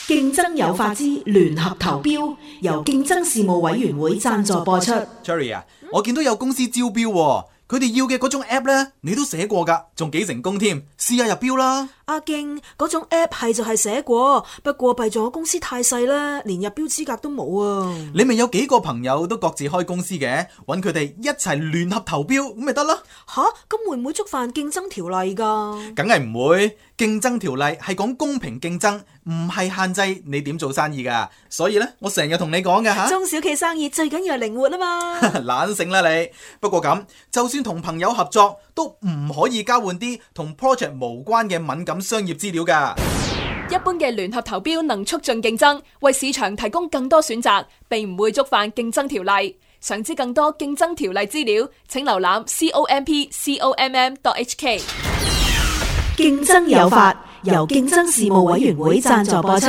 競爭有法之聯合投標，由競爭事務委員會贊助播出。 Cherry 啊，我見到有公司招標喎，佢哋要嘅嗰種 app 呢，你都寫過㗎，仲幾成功添，試下入標啦。阿勁，嗰種 app 係就係寫過，不過弊咗公司太細啦，連入標資格都冇啊。你咪有幾個朋友都各自開公司嘅，揾佢哋一齊聯合投標咁咪得啦。吓，咁會唔會觸犯競爭條例㗎？梗係唔會，競爭條例係講公平競爭，唔係限制你點做生意㗎。所以呢，我成日同你講嘅吓，中小企生意最緊要係靈活啊嘛。懶醒啦你。不過咁，就算同朋友合作，都唔可以交換啲同 project 無關嘅敏感商業資料㗎。一般嘅聯合投標能促進競爭，為市場提供更多選擇，並唔會觸犯競爭條例。想知更多競爭條例資料，請瀏覽 COMP.HK。競爭有法，由競爭事務委員會贊助播出。